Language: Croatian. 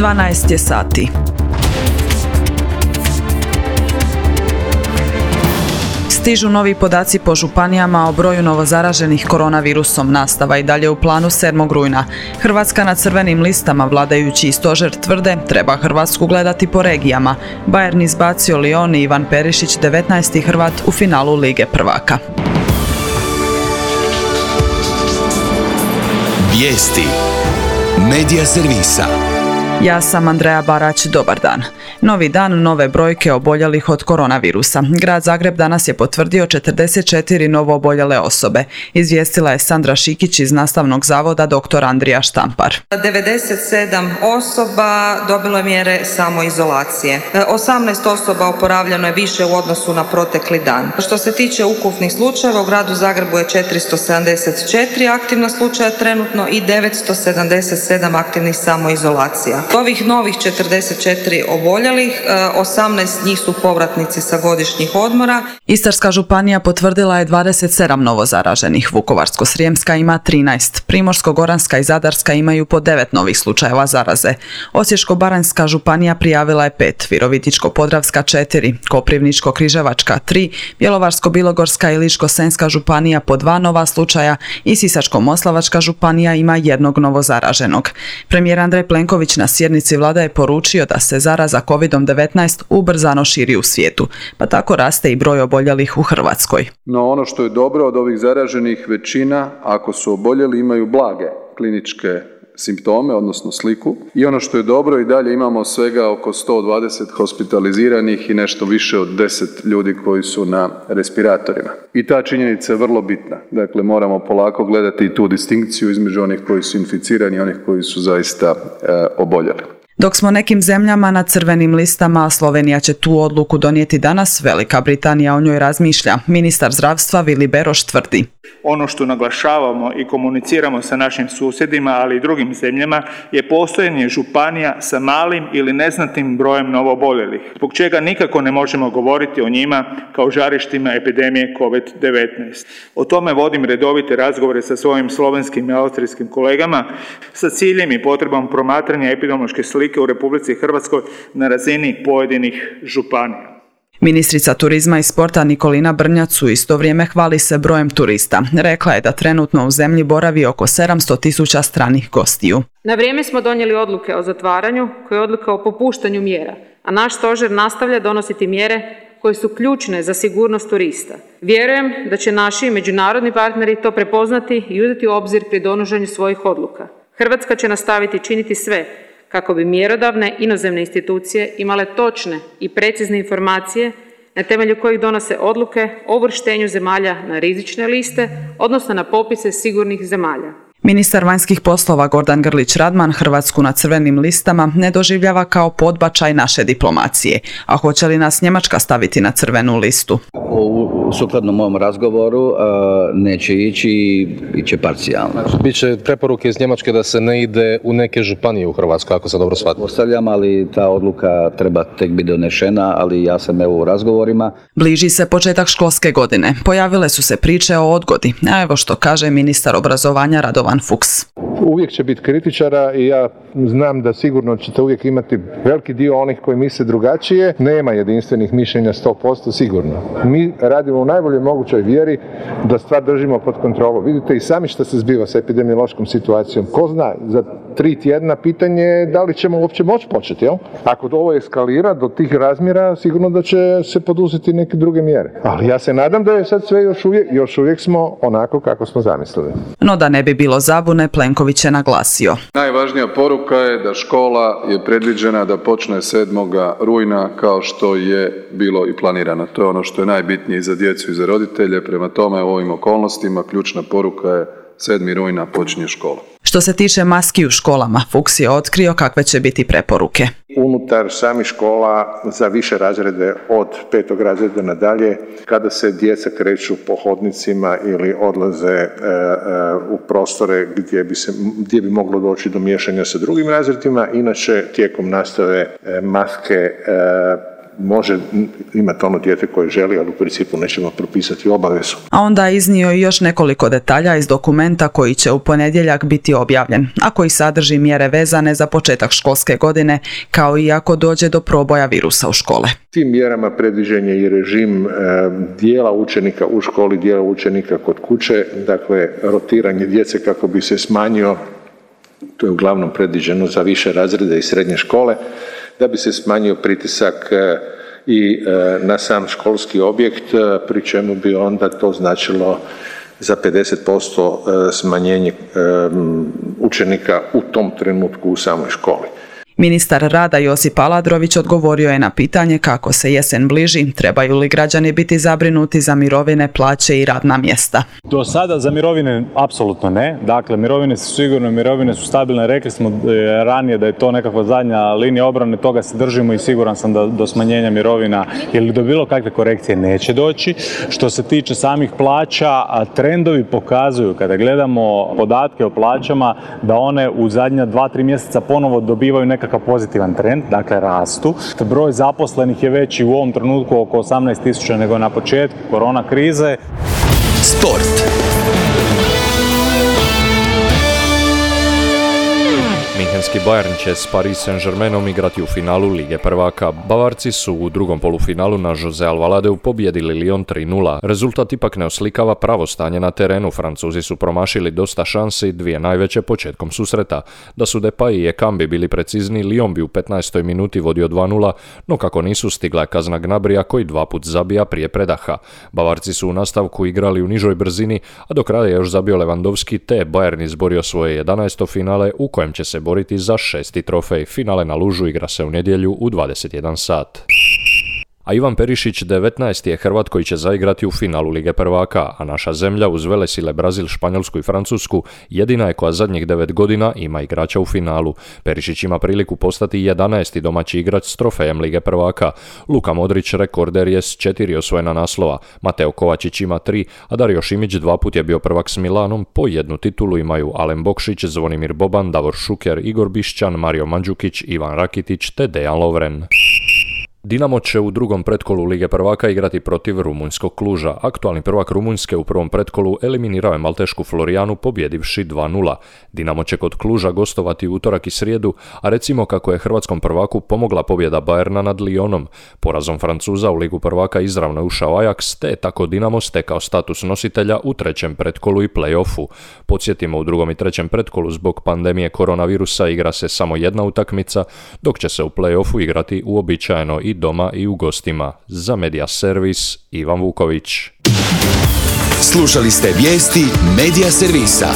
12 je sati. Stižu novi podaci po županijama o broju novozaraženih koronavirusom. Nastava i dalje u planu 7. rujna. Hrvatska na crvenim listama, vladajući i stožer tvrde treba Hrvatsku gledati po regijama. Bayern izbacio Lyon i Ivan Perišić 19. Hrvat u finalu Lige prvaka. Vijesti Medija servisa. Ja sam Andreja Barać, dobar dan. Novi dan, nove brojke oboljelih od koronavirusa. Grad Zagreb danas je potvrdio 44 novo oboljele osobe. Izvijestila je Sandra Šikić iz Nastavnog zavoda dr. Andrija Štampar. 97 osoba dobilo je mjere samoizolacije. 18 osoba oporavljeno je više u odnosu na protekli dan. Što se tiče ukupnih slučajeva, u gradu Zagrebu je 474 aktivna slučaja trenutno i 977 aktivnih samoizolacija. Ovih novih 44 oboljelih, 18 njih su povratnici sa godišnjih odmora. Istarska županija potvrdila je 27 novozaraženih. Vukovarsko-srijemska ima 13. Primorsko-goranska i Zadarska imaju po 9 novih slučajeva zaraze. Osječko-baranjska županija prijavila je 5, Virovitičko-podravska 4, Koprivničko-križevačka 3, Bjelovarsko-bilogorska i Ličko-senjska županija po 2 nova slučaja i Sisačko-moslavačka županija ima 1 novozaraženog. Premijer Andrej Plenković na sjednici vlade je poručio da se zaraza COVID-19 ubrzano širi u svijetu, pa tako raste i broj oboljelih u Hrvatskoj. No ono što je dobro od ovih zaraženih, većina, ako su oboljeli, imaju blage kliničke simptome, odnosno sliku. I ono što je dobro, i dalje imamo svega oko 120 hospitaliziranih i nešto više od 10 ljudi koji su na respiratorima. I ta činjenica je vrlo bitna. Dakle, moramo polako gledati i tu distinkciju između onih koji su inficirani i onih koji su zaista oboljeli. Dok smo nekim zemljama na crvenim listama, Slovenija će tu odluku donijeti danas, Velika Britanija o njoj razmišlja. Ministar zdravstva Vili Beroš tvrdi. Ono što naglašavamo i komuniciramo sa našim susjedima, ali i drugim zemljama, je postojanje županija sa malim ili neznatnim brojem novooboljelih, zbog čega nikako ne možemo govoriti o njima kao žarištima epidemije COVID-19. O tome vodim redovite razgovore sa svojim slovenskim i austrijskim kolegama sa ciljem i potrebom promatranja epidemiološke slike u Republici Hrvatskoj na razini pojedinih županija. Ministrica turizma i sporta Nikolina Brnjac u isto vrijeme hvali se brojem turista. Rekla je da trenutno u zemlji boravi oko 700.000 stranih gostiju. Na vrijeme smo donijeli odluke o zatvaranju, koje je odluka o popuštanju mjera, a naš stožer nastavlja donositi mjere koje su ključne za sigurnost turista. Vjerujem da će naši međunarodni partneri to prepoznati i uzeti u obzir pri donošenju svojih odluka. Hrvatska će nastaviti činiti sve kako bi mjerodavne inozemne institucije imale točne i precizne informacije na temelju kojih donose odluke o uvrštenju zemalja na rizične liste, odnosno na popise sigurnih zemalja. Ministar vanjskih poslova Gordan Grlić Radman Hrvatsku na crvenim listama ne doživljava kao podbačaj naše diplomacije. A hoće li nas Njemačka staviti na crvenu listu? Sukladno mom razgovoru neće ići parcijalno. Biće preporuke iz Njemačke da se ne ide u neke županije u Hrvatskoj, ako sam dobro shvatio. Ostavljam, ali ta odluka treba tek biti donešena, ali ja sam u razgovorima. Bliži se početak školske godine. Pojavile su se priče o odgodi. A evo što kaže ministar obrazovanja Radovan Fuchs. Uvijek će biti kritičara i ja znam da sigurno ćete uvijek imati veliki dio onih koji misle drugačije. Nema jedinstvenih mišljenja 100% sigurno. Mi radimo u najboljoj mogućoj vjeri da stvar držimo pod kontrolom. Vidite i sami što se zbiva sa epidemiološkom situacijom. Ko zna, za 3 tjedna pitanje je da li ćemo uopće moći početi. Jel? Ako ovo eskalira do tih razmjera, sigurno da će se poduzeti neke druge mjere. Ali ja se nadam da je sad sve još uvijek smo onako kako smo zamislili. No da ne bi bilo zabune, Plenković je naglasio. Najvažnija poruka je da škola je predviđena da počne 7. rujna kao što je bilo i planirano. To je ono što je najbitnije za djecu i za roditelje. Prema tome, u ovim okolnostima ključna poruka je 7. rujna počinje škola. Što se tiče maski u školama, Fuchs je otkrio kakve će biti preporuke. Unutar samih škola za više razrede od 5. razreda nadalje, kada se djeca kreću po hodnicima ili odlaze u prostore gdje bi moglo doći do miješanja sa drugim razredima, inače tijekom nastave maske može imati ono dijete koje želi, ali u principu nećemo propisati obavezu. A onda je iznio i još nekoliko detalja iz dokumenta koji će u ponedjeljak biti objavljen, a koji sadrži mjere vezane za početak školske godine, kao i ako dođe do proboja virusa u škole. Tim mjerama predviđen je i režim dijela učenika u školi, dijela učenika kod kuće, dakle rotiranje djece kako bi se smanjio, to je uglavnom predviđeno za više razrede i srednje škole, da bi se smanjio pritisak i na sam školski objekt, pri čemu bi onda to značilo za 50% smanjenje učenika u tom trenutku u samoj školi. Ministar rada Josip Aladrović odgovorio je na pitanje kako se jesen bliži, trebaju li građani biti zabrinuti za mirovine, plaće i radna mjesta. Do sada za mirovine apsolutno ne, dakle mirovine su sigurno, mirovine su stabilne, rekli smo ranije da je to nekakva zadnja linija obrane, toga se držimo i siguran sam da do smanjenja mirovina ili do bilo kakve korekcije neće doći. Što se tiče samih plaća, trendovi pokazuju, kada gledamo podatke o plaćama, da one u zadnja 2-3 mjeseca ponovo dobivaju nekakav pozitivan trend, dakle rastu. Broj zaposlenih je veći u ovom trenutku oko 18.000 nego na početku korona krize. Sport. Minhenski Bayern će s Paris Saint-Germainom igrati u finalu Lige prvaka. Bavarci su u drugom polufinalu na Jose Alvaladeu pobijedili Lyon 3-0. Rezultat ipak ne oslikava pravo stanje na terenu. Francuzi su promašili dosta šansi, dvije najveće početkom susreta. Da su Depay i Ekambi bili precizni, Lyon bi u 15. minuti vodio 2-0, no kako nisu, stigla je kazna Gnabrija koji 2 put zabija prije predaha. Bavarci su u nastavku igrali u nižoj brzini, a do kraja je još zabio Lewandowski, te je Bayern izborio svoje 11. finale u kojem će se boriti za 6. trofej. Finale na Lužu igra se u nedjelju u 21 sat. A Ivan Perišić 19. je Hrvat koji će zaigrati u finalu Lige prvaka, a naša zemlja uz velesile Brazil, Španjolsku i Francusku jedina je koja zadnjih 9 godina ima igrača u finalu. Perišić ima priliku postati 11. domaći igrač s trofejem Lige prvaka. Luka Modrić rekorder je s 4 osvojena naslova, Mateo Kovačić ima 3, a Dario Šimić 2 put je bio prvak s Milanom, po 1 titulu imaju Alen Bokšić, Zvonimir Boban, Davor Šuker, Igor Bišćan, Mario Mandžukić, Ivan Rakitić te Dejan Lovren. Dinamo će u drugom pretkolu Lige prvaka igrati protiv rumunjskog Kluža. Aktualni prvak Rumunjske u prvom pretkolu eliminirao je maltešku Florijanu pobjedivši 2-0. Dinamo će kod Kluža gostovati utorak i srijedu, a recimo kako je hrvatskom prvaku pomogla pobjeda Bayerna nad Lyonom. Porazom Francuza u Ligu prvaka izravno je ušao Ajax, te je tako Dinamo stekao status nositelja u trećem pretkolu i play-offu. Podsjetimo, u drugom i trećem pretkolu zbog pandemije koronavirusa igra se samo jedna utakmica, dok će se u play-offu igrati uobičajeno i doma i u gostima. Za Media Servis, Ivan Vuković. Slušali ste vijesti Media Servisa.